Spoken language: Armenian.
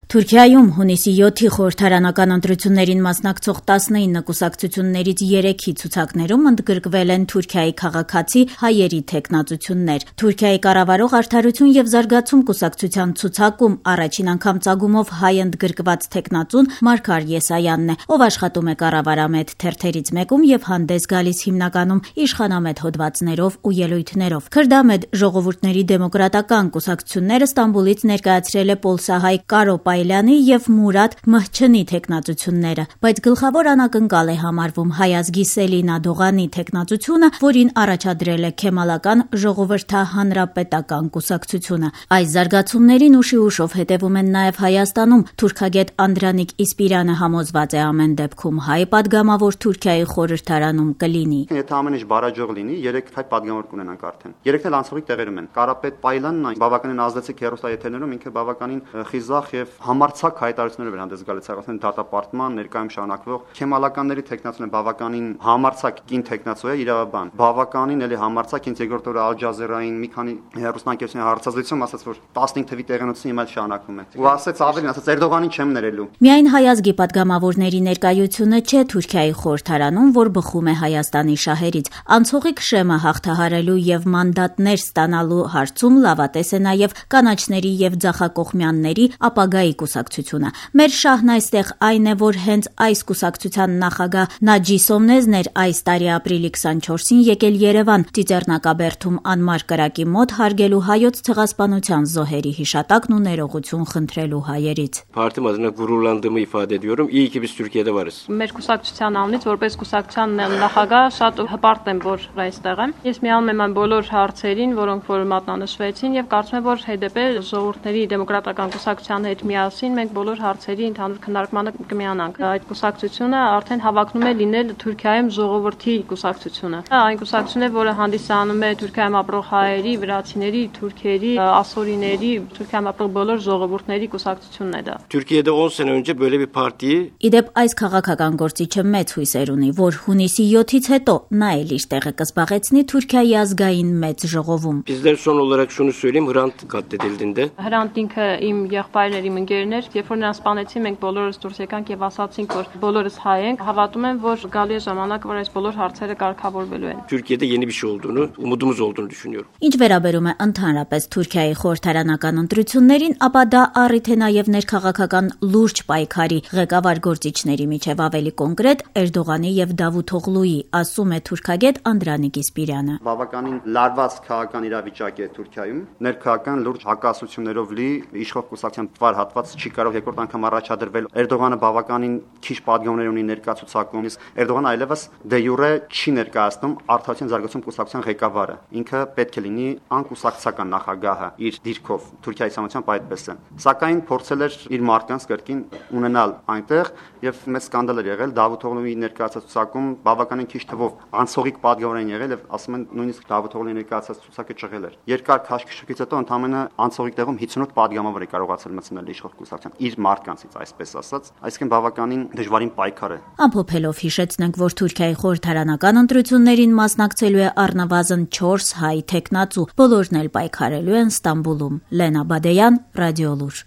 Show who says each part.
Speaker 1: Թուրքիայում հունիսի 7-ի խորհրդարանական ընտրություններին մասնակցող 19 կուսակցություններից 3-ի ցուցակներում ընդգրկվել են Թուրքիայի քաղաքացի հայերի թեկնածություններ։ Թուրքիայի կառավարող Արդարություն եւ զարգացում կուսակցության ցուցակում առաջին անգամ ծագումով հայ ընդգրկված թեկնածուն Մարգար Եսայանն է, ով աշխատում է կառավարամետ թերթերից մեկում եւ հանդես գալիս հիմնականում իշխանամետ հոդվածներով ու ելույթներով։ Քրդամետ ժողովուրդների դեմոկրատական կուսակցությունները Ստամբուլից ներկայացրել է պոլսահայ Կարո Պայլյանի եւ Մուրադ Մհչնի թեկնածությունները, բայց գլխավոր անակնկալ է համարվում հայազգի Սելինա Դողանի թեկնածությունը, որին առաջադրել է Քեմալական ժողովրդահանրապետական կուսակցությունը։ Այս զարգացումներին ուշիուշով հետևում են նաեւ Հայաստանում։ Թուրքագետ Անդրանիկ Իսպիրյանը համոզված է ամեն դեպքում հայ падգամավոր Թուրքիայի խորհրդարանում կլինի։
Speaker 2: Եթե ամեն ինչ բարաջող լինի, 3 հայ падգամավոր կունենանք արդեն։ 3-ն էլ անցողիկ տեղերում են։ Կարապետ Պայլյանն բավականին ազդեցիկ հեռուստաեթերներում ինքը բավականին խիզախ եւ համարձակ հայտարարություններով էր հանդես գալիս ցեղասպանության դատապարտման ներկայում շարունակվող Քեմալականների թեկնածությունը բավականին համարձակ կին թեկնածու է իրավաբան, բավականին էլի համարձակ ինձ երկրորդ օրը Ալ Ջազերային մի քանի հեռուստաընկերությունների հարցազրույցում ասաց, որ 15 թվի տեղանոցը հիմա շարունակվում է։ Ու ասաց ավելին, ասաց Էրդողանին չեմ ներելու։
Speaker 1: Միայն հայազգի падգամավորների ներկայությունը չէ Թուրքիայի խորհրդարանում, որ բխում է Հայաստանի շահերից։ Անցողիկ շեմը հաղթահարելու եւ մանդատներ ստանալու հարցում լավատես է նաեւ կանաչների եւ ձախակողմյանների ապագայի կուսակցությունը։ Մեր շահն այստեղ այն է, որ հենց այս կուսակցության նախագահ Նաջի Սոմնեզն էր այս տարի ապրիլի 24-ին եկել Երևան Ծիծեռնակաբերդում անմար կրակի մոտ հարգելու հայոց ցեղասպանության զոհերի հիշատակն ու ներողություն խնդրելու հայերից։
Speaker 3: Partiyım adına gururlandığımı ifade ediyorum. İyi ki biz Türkiye'de varız.
Speaker 4: Մեր կուսակցության անունից որպես կուսակցության նախագահ շատ հպարտ եմ, որ այստեղ եմ։ Ես միանում եմ այն բոլոր հարցերին, որոնք որ մատնանշվեցին եւ կարծում եմ, որ HDP ժողովուրդների դեմոկրատական կուսակցության հետ միասին մենք բոլոր հարցերի ընդհանուր քննարկմանը կմիանանք։ Այդ կուսակցությունը արդեն հավակնում է լինել Թուրքիայում ժողովրդի կուսակցությունը։ Այն կուսակցություն է, որը հանդիսանում է Թուրքիայում ապրող հայերի, վրացիների, թուրքերի, ասորիների, Թուրքիայում ապրող բոլոր ժողովուրդների կուսակցությունն է դա։
Speaker 3: Türkiye'de 10 sene önce böyle bir partiyi
Speaker 1: Իդեպ այս քաղաքական գործիչը մեծ հույսեր ունի, որ հունիսի 7-ից հետո նա էլ իր տեղը կզբաղեցնի Թուրքիայի ազգային մեծ ժողովում։
Speaker 3: bizler son olarak şunu söyleyeyim Hrant katledildiğinde
Speaker 4: Հրանտ ինքը իմ եղբայրն էր, իմ ընկերներ, երբ որ նրան սպանեցին, մենք բոլորս դուրս եկանք եւ ասացինք, որ բոլորս հայ ենք։ Հավատում եմ, որ գալի է ժամանակը, որ այս բոլոր հարցերը կարգավորվելու են։
Speaker 3: Türkiye'de yeni bir şey olduğunu, umudumuz olduğunu düşünüyorum.
Speaker 1: Ինչ վերաբերում է ընդհանրապես Թուրքիայի խորհրդարանական ընտրություններին, ապա դա առիթ է նաև ներքաղաքական լուրջ պայքարի ղեկավար գործիչների միջև ավելի կոնկրետ Էրդողանի եւ Դավութօղլուի, ասում է թուրքագետ Անդրանիկ Իսպիրյանը։
Speaker 2: Բավականին լարված քաղաքական իրավիճակ է Թուրքիայում, ներքաղաքական լուրջ հակասություններով լի իշխող կուսակցության վար հատված չի կարող երկրորդ անգամ առաջադրվել։ Էրդողանը բավականին քիչ падգամներ ունի ներկայացուցակում, իսկ Էրդողանը այլևս դե յուրե չի ներկայացնում Արդարություն զարգացում կուսակցության ղեկավարը։ Ինքը պետք է լինի անկուսակցական նախագահը իր դիրքով Թուրքիայի ցամաքությամբ այդպես է։ Սակայն փորձել էր իր մարդկանց կրկին ունենալ այնտեղ եւ մեծ սկանդալ էր եղել Դավութօղլուի ներկայացուցակում բավականին քիչ թվով անցողիկ падգամներ են եղել եւ ասում են նույնիսկ Դավութօղլուի ներկայացուցակը ճղել էր։ Երկար քաշքշուկից հետո ընդամենը անցողիկ տեղում 58 падգամավոր է կարողացել մտցնել իշխող կուսակցության իր մարդկանցից, այսպես ասած, այսինքն բավականին դժվարին պայքար է։
Speaker 1: Ամփոփելով հիշեցնենք, որ Թուրքիայի խորհրդարանական ընտրություններին մասնակցելու է առնվազն 4 հայ թեկնածու, բոլորն էլ պայքարելու են Ստամբուլում։ Լենա Բադեյան, Ռադիոլուր։